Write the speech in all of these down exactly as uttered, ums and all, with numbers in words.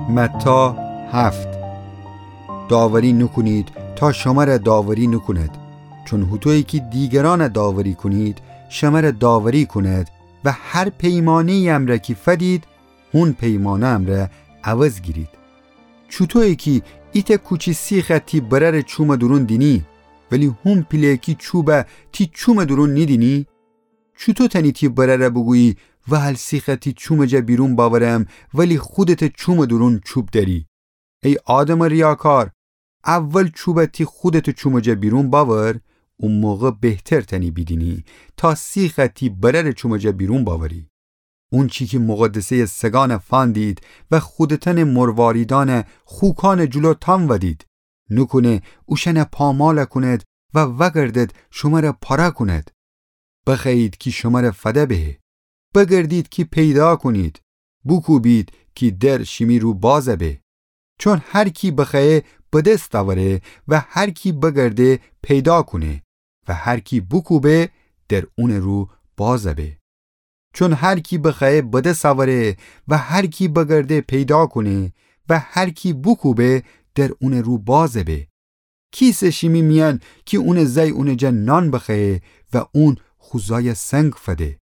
متی هفت. داوری نوکونید تا شمره داوری نوکوند، چون هوطویی کی دیگرأنه داوری کونید، شمره داوری کونید و هر پیمانه‌یی امرأ کی فدید، هون پیمانه امرأ عوض گیرید. چوطویی کی ایتأ کوچی سیخه تی برأرٚ چومٚ دورون دینی، ولی هون پیله‌کی چوبه تی چومٚ دورون نیدینی؟ چوطو تأنی تی برأره بوگویی وهل سیخه تی چومٚ جا بیرون بأورم، ولی خودتٚ چومٚ دورون چوب دأری؟ ای آدمٚ ریاکار، اول چوبه تی خودتٚ چومٚ جا بیرون بأور، او موقع بهتر تأنی بیدینی تا سیخه تی برأرٚ چومٚ جا بیرون بأوری. اونچی کی مقدسه‌یٚ سگأنه فأندید و خودتأنٚ مرواریدأنه خوکأنٚ جلو تأنودید، نوکونه اوشأنه پامال کونید و وأگردید شمره پاره کونید. بخوأیید کی شمره فده به. بگردید کی پیدا کونید. بوکوبید کی در شیمی رو باز به. چون هر کی بخوأیه به دس اوره و هر کی بگرده پیدا کونه و هر کی بوکوبه در اونٚ رو باز به. چون هر کی بخوأیه به دس اوره و هر کی بگرده پیدا کونه و هر کی بوکوبه در اونٚ رو باز به. کیسه شیمی میأن کی اونٚ زأی اونٚ جا نان بخوأیه و اون خو زأیه سنگ فده؟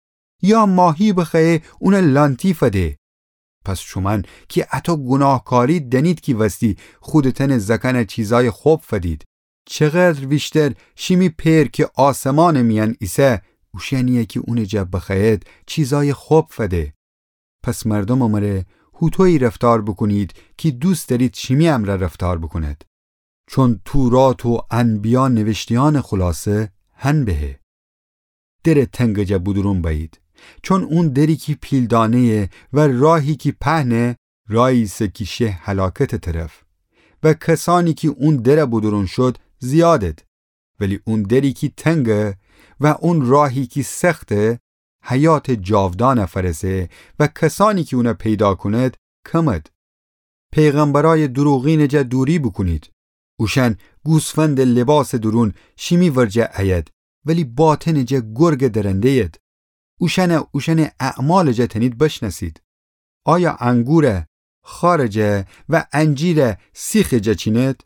یا ماهی بخوأیه اونه لأنتی فده؟ پس شومأن کی اطو گوناهکاری دأنید کی وستی خودتأنٚ زأکأنه چیزأیٚ خب فدید، چقدر ویشتر شیمی پئر کی آسمانٚ میأن ایسه، اوشأنیی کی اونٚ جا بخوأیید چیزأیٚ خب فده. پس مردومٚ مره هوطویی رفتار بوکونید کی دوست دأرید شیمی امرأ رفتار بوکونید. چون تورات و انبیا نیویشته‌یأنٚ خلاصه هن به. درٚ تنگٚ جا بودورون بأیید. چون اون دری کی پیلدانه‌یه و راهی کی پهنه، راهی ایسه کی شه هلاکتٚ طرف. و کسأنی کی اون دره بودورون شود زیادید. ولی اون دری کی تنگه و اون راهی کی سخته، حیاتٚ جاودانه فأرسه و کسأنی کی اونه پیدا کونید کمید. پیغمبرأیٚ دوروغینٚ جا دوری بوکونید. اوشأن گوسفندٚ لیباسٚ دورون شیمی ورجه ایید، ولی باطنٚ جا گرگٚ درنده‌ید. اوشأنه اوشأنٚ اعمالٚ جا تأنید بشنأسید. آیا انگوره خارٚ جا و انجیره سیخٚ جا چینید؟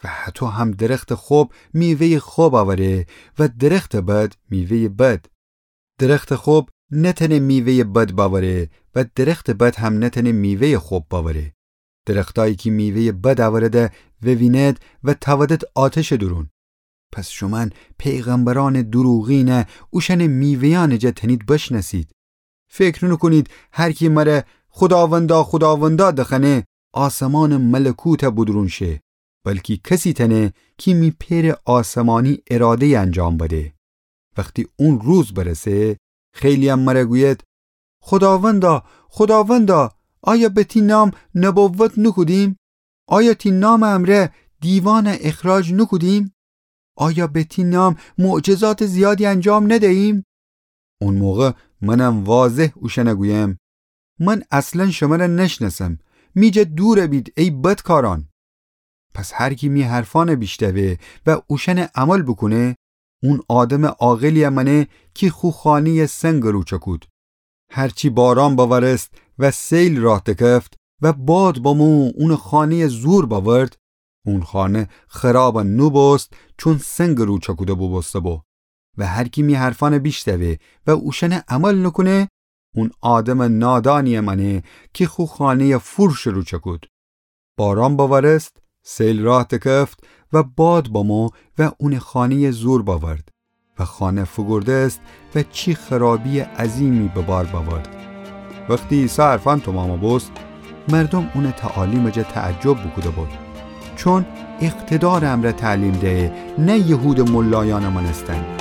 و هطو هم درختٚ خب میوه‌یٚ خب اوره و درختٚ بد میوه‌یٚ بد. درختٚ خب نتأنه میوه‌یٚ بد بأوره و درختٚ بد هم نتأنه میوه‌یٚ خب بأوره. درختأیی کی میوه‌یٚ بد اوره ده ووینید و تأودید آتشٚ دورون. پس شومأن پیغمبرأنٚ دوروغینه اوشأنٚ میوه‌یأنٚ جا تأنید بشنأسید. فکر نوکونید هر کی مره خوداوندا، خوداوندا دخوأنه آسمانٚ ملکوته بودورون شه، بلکی کسی تأنه کی می پئرٚ آسمانی اراده‌یٚ انجام بده. وختی اون روز برسه، خیلی‌یم مره گوید: خوداوندا، خوداوندا، آیا به تی نام نبوت نوکودیم؟ آیا تی نامٚ امرأ دیوانه اخراج نوکودیم؟ آیا به تی نام معجزاتٚ زیادی انجام ندهییم؟ اون موقع منم واضح اوشأنه گویم: من اصلاً شمره نشنأسم، می جا دور بید ای بدکارأن. پس هر کی می حرفأنه بیشتوه و اوشأنه عمل بوکونه، اون آدمٚ عاقلی‌یه مأنه کی خو خانه‌یه سنگٚ رو چأکود. هرچی باران بأورست و سیل راه دکفت و باد بمو اونٚ خانه‌یه زور بأورد، اون خانه خراب نوبوست، چون سنگٚ رو چأکوده بوبوسته بو. و هر کی می حرفأنه بیشتوه و اوشأنه عمل نوکونه، اون آدمٚ نادانی‌یه مأنه کی خو خانه‌یه فورشٚ رو چأکود. باران بأورست، سیل راه دکفت و باد بمو و اونٚ خانه‌یه زور بأورد و خانه فوگورده‌ست و چی خرابی‌یٚ عظیمی به بار بأورد. وختی عیسی حرفأن تومام بوست، مردوم اونٚ تعالیمٚ جا تعجب بوکوده بود، چون اقتدارٚ امرأ تعلیم دهه، نه یهودٚ ملایأنٚ مأنستن.